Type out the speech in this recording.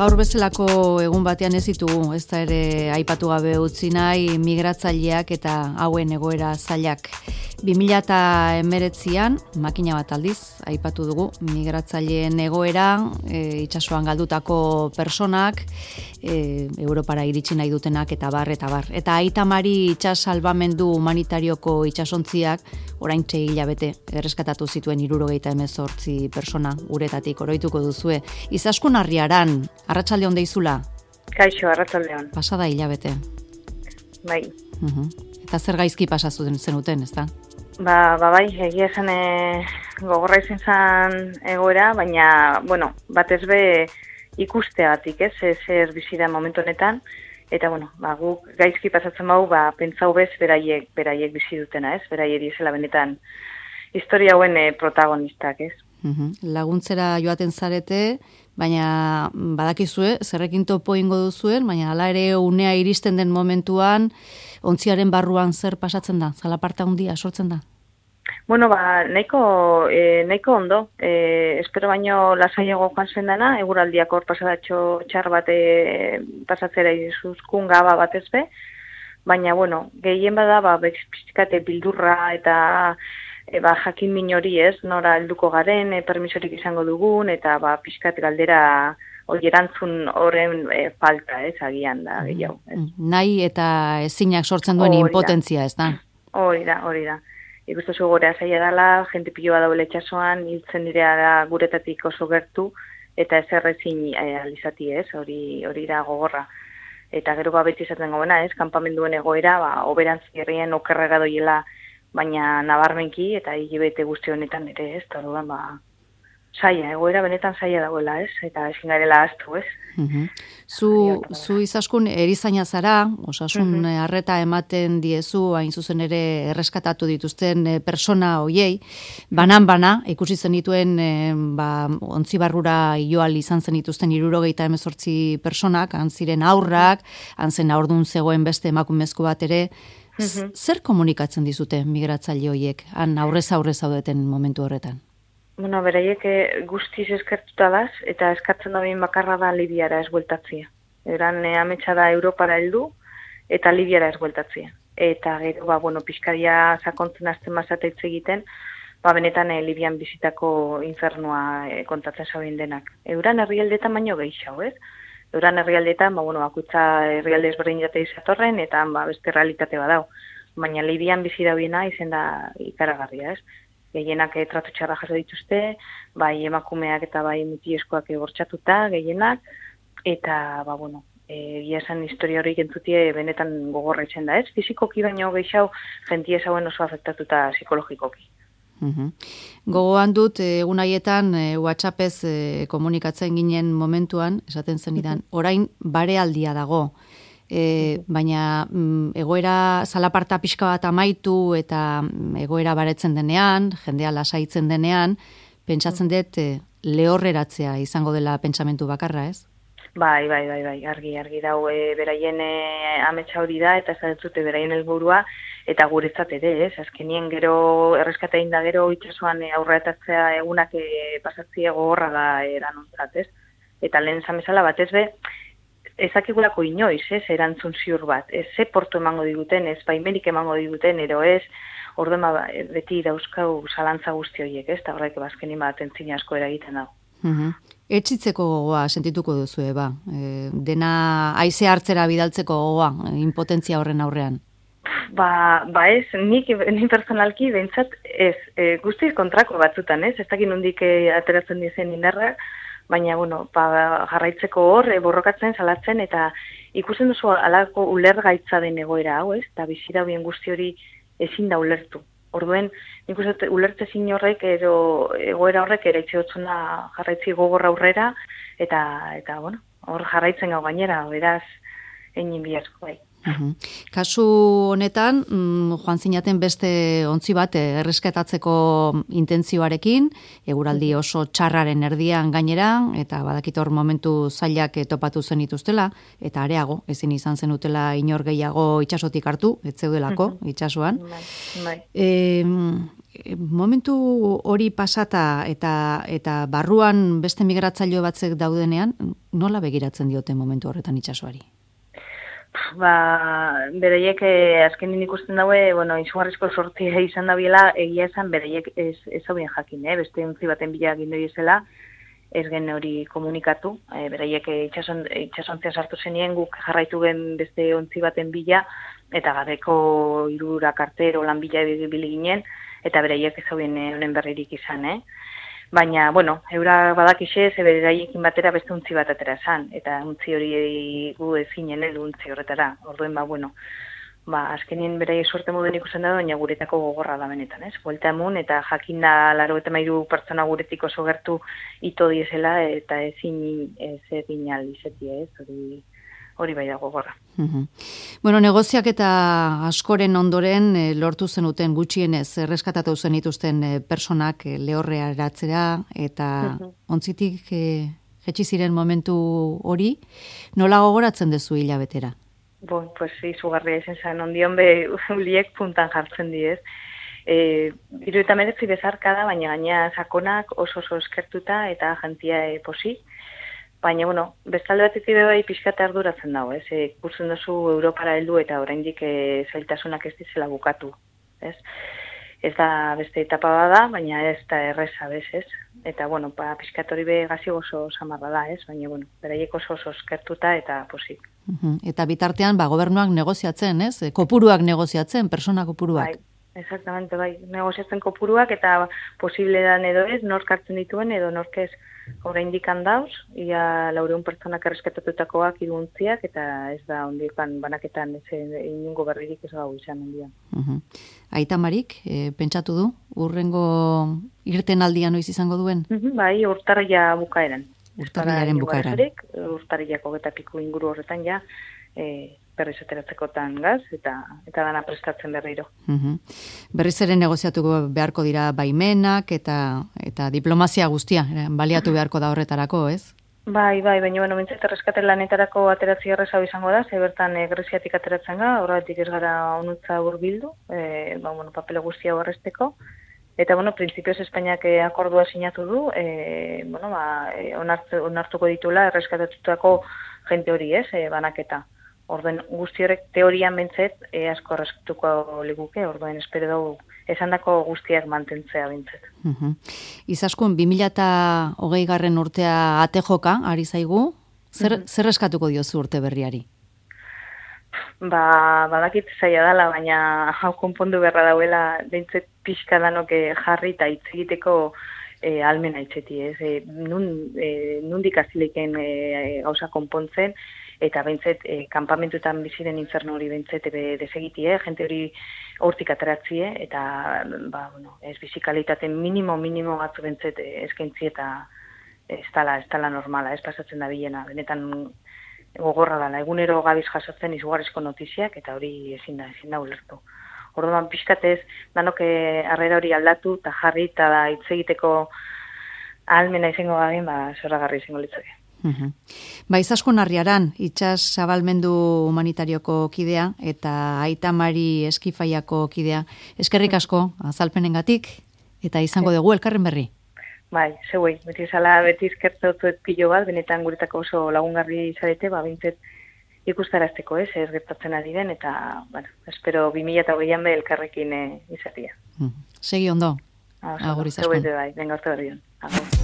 Gaur bezalako egun batean ez ditugu, ez da ere aipatu gabe utzi nahi migratzaileak eta hauen egoera zailak. 2019an, makina bat aldiz, aipatu dugu, migratzaileen egoera, itsasoan galdutako personak, Europara iritsi nahi dutenak eta bar. Eta Aita Mari itsas salbamendu humanitarioko itsasontziak oraintxe hilabete erreskatatu zituen 78 persona uretatik oroituko duzue. Izaskun Arriaran, arratsaldeon deizula? Kaixo, arratsaldeon. Pasada hilabete. Bai. Eta zer gaizki pasatu zenuten, ezta? Bai, egia esan gogorra izan zen egoera, baina, bueno, batez be ikusteagatik, zer bizi da momentu honetan, eta, bueno, guk gaizki pasatzen bau, pentsau bez beraiek bizi dutena, beraiek dizela benetan historia hauen protagonistak, Laguntzera joaten zarete, baina badakizue, zerrekin topo ingo duzuen, baina hala ere unea iristen den momentuan, ontziaren barruan zer pasatzen da? Zalaparta handia sortzen da? Bueno, nahiko ondo. Espero baino lasaiago joan zen dana, eguraldiak hor pasadatxo txar bat pasatzera izuzkun gaba batez be, baina, bueno, gehien bada, pixkate bildurra eta jakin min hori nora helduko garen, permisorik izango dugun, eta pixkat galdera erantzun horren falta, agian da, gehiago. Nahi eta ezinak sortzen duen impotentzia, ez da? Hori da. Ikustu gorea zaila dela, jente piloa daule itxasoan, hiltzen direa guretatik oso gertu, eta ezer ezin alizati, hori da gogorra. Eta gero beti izaten gobena, kanpamenduen egoera, oberantz herrien okerrera doiela, baina nabarmenki, eta hilabete guzti honetan ere, eta orduan, saia, egoera benetan saia dagoela, eta ezin garela ahaztu, Zu Izaskun erizaina zara, osasun arreta ematen diezu, hain zuzen ere erreskatatu dituzten persona hoiei, banan ikusi zenituen ontzibarrura joal izan zen dituzten 78 personak, han ziren haurrak, han zen haurdun zegoen beste emakumezko bat ere. Zer komunikatzen dizute migratzaile hoiek, han aurrez zaudeten momentu horretan? Bueno, beraiek guztiz eskertuta daz, eta eskatzen da behin bakarra da Libiara ez bueltatzia. Eran ametsa da Europara heldu, eta Libiara ez bueltatzia. Eta gero, pixkadia sakontzen azten mazateitz egiten, benetan Libian bizitako infernua kontatzen zauen denak. Euran herrialdetan baino gehiago, Euran herrialdetan, bakoitza herrialde ezberdin jate izatorren, eta beste realitate badau. Baina Libian bizi dauena izen da ikaragarria, Gehienak tratu txarra jaso dituzte, bai emakumeak eta bai mutieskoak bortxatuta, gehienak, eta, egia esan historia hori entzutie benetan gogorra itzen da, Fizikoki baino gehiago, jentia zauen oso afektatuta psikologikoki. Gogoan dut, egun haietan, WhatsAppez komunikatzen ginen momentuan, esaten zenidan, orain barealdia dago, baina egoera zalaparta pixka bat amaitu eta egoera baretzen denean, jendea lasaitzen denean, pentsatzen dut lehorreratzea izango dela pentsamentu bakarra, ez? Bai, argi dau beraien ametsa hori da, eta ez dute beraien helburua, eta guretzat ere, azkenien gero erreskatein da gero itxasuan aurretatzea egunak pasatzea gogorra da eranontzat, Eta lehen zamezala batez be, ezakigulako inoiz, erantzun ziur bat, ze portu emango diguten, baimenik emango diguten, ero orduan beti dauzkau zalantza guzti horiek, eta horrek bazkenin bat entzina asko eragiten dago. Etxitzeko gogoa sentituko duzu, dena haize hartzera bidaltzeko gogoa, impotentzia horren aurrean. Ni personalki behintzat guztiz kontrako batzutan, ez dakit nondik ateratzen dizen indarra, baina, jarraitzeko hor, borrokatzen, salatzen, eta ikusten duzu alako ulergaitza den egoera hau, eta bizi dauen guzti hori ezin da ulertu. Orduen, nik uste ulertzezin horrek, egoera horrek ere itxeotzuna jarraitzi gogorra aurrera, eta hor jarraitzen gau gainera, beraz, egin biharko, bai. Kasu honetan, joan zinaten beste ontzi bat erreskatatzeko intentzioarekin, eguraldi oso txarraren erdian gainera, eta badakitor momentu zailak topatu zenituztela, eta areago, ezin izan zenutela inor gehiago itsasotik hartu, ez zeudelako itsasoan. Momentu hori pasata eta barruan beste migratzaile batzek daudenean, nola begiratzen diote momentu horretan itsasoari? Bereiek azkenin ikusten daue, izugarrizko sortzia izan da biela, egia esan bereiek ez haubien jakin, beste ontzi baten bila egin doiezela, ez gen hori komunikatu, bereiek itxasontzia sartu zenien, guk jarraitu gen beste ontzi baten bila, eta gabeko 3 arte lan bila ibili ginen, eta bereiek ez haubien honen berririk izan, Baina, eura badakixe, beraiekin batera beste untzi bat atera esan, eta untzi hori gu ezinen edo untzi horretara. Orduen, azkenien beraiek suerte moden ikusten da, baina guretako gogorra da benetan, Buelta emun, eta jakin da 93 pertsona guretik oso gertu ito diesela, eta ezin egin alizeti, hori bai da gogorra. Negoziak eta askoren ondoren lortu zenuten gutxienez erreskatatu zenituzten personak lehorrea eratzera eta ontzitik jetxi ziren momentu hori, nola gogoratzen dezu hilabetera? Pues izugarria izan zen, ondion uliek puntan jartzen diez. 79 bezarka da, baina gaina sakonak oso eskertuta eta jantia posi. Baina, bestalde batetik bai pixkate arduratzen dago, ikusten duzu Europara heldu eta oraindik zailtasunak ez dizela bukatu, Ez da beste etapa bada, baina ez da erreza, ez? Eta, pixkat hori gazi oso samarra da, baina, beraiek oso eskertuta eta posik. Eta bitartean, gobernuak negoziatzen, kopuruak negoziatzen, persona kopuruak. Bai, exactamente, bai, negoziatzen kopuruak eta posible dan edo ez, nork hartzen dituen edo nork ez. Oraindik handauz, ia 400 pertsonak erreskatatutakoak 3 ontziak, eta ez da ondikan banaketan inungo berririk ez gau izan ondian. Aita Marik, pentsatu du, urrengo irten aldian noiz izango duen? Bai, urtarria bukaeran. Urtarriaren bukaeran. Urtarriako eta piku inguru horretan ja, berriz ateratzekotan gaz, eta dana prestatzen berriro. Berriz ere negoziatuko beharko dira baimenak eta diplomazia guztia, baliatu beharko da horretarako, ez? Bai, baina mintzat erreskate lanetarako ateratzi errezau izango da, bertan Greziatik ateratzen ga, horretik ez gara onutza hurbildu, papele guztia horrezteko, eta, printzipioz Espainiak akordua sinatu du, onartuko ditula erreskatatutako jente hori, banaketa. Orduen guzti horrek teorian bentzet asko erreskatuko liguke, orduen espero dugu esandako guztiak mantentzea bentzet. Izaskun, 2020 urtea ate joka, ari zaigu, zer eskatuko diozu urte berriari? Badakit zaila dela, baina hau konpondu beharra dauela, bentzet pixka danok jarri eta hitz egiteko almena itzeti, nundik azileken gauza konpontzen, eta bentzet, kanpamentuetan biziren inferno hori bentzet desegitie, jente hori hortik ateratzie, eta, ez bizikalitaten minimo batzu bentzet eskaintzi eta ez tala normala, ez pasatzen da bilena, benetan gogorra dela, egunero gabiz jasotzen izugarrizko notiziak, eta hori ezin da ulertu. Orduan pixkatez, danok harrera hori aldatu, eta jarri, eta hitz egiteko ahalmena izango garen, zoragarri izango litzake. Izaskun Arriaran, itsas zabalmendu humanitarioko kidea eta Aita Mari Eskifaiako kidea. Eskerrik asko azalpenengatik eta izango dugu elkarren berri. Bai, zeuei, beti eskertzuet pilo bat, benetan guretako oso lagungarri izarete, bintzet ikustarazteko ez gertatzen ari den, eta, espero 2020an be elkarrekin izatea. Segi ondo. Agur Izaskun. Zeuei bai, venga orte berrion. Agur.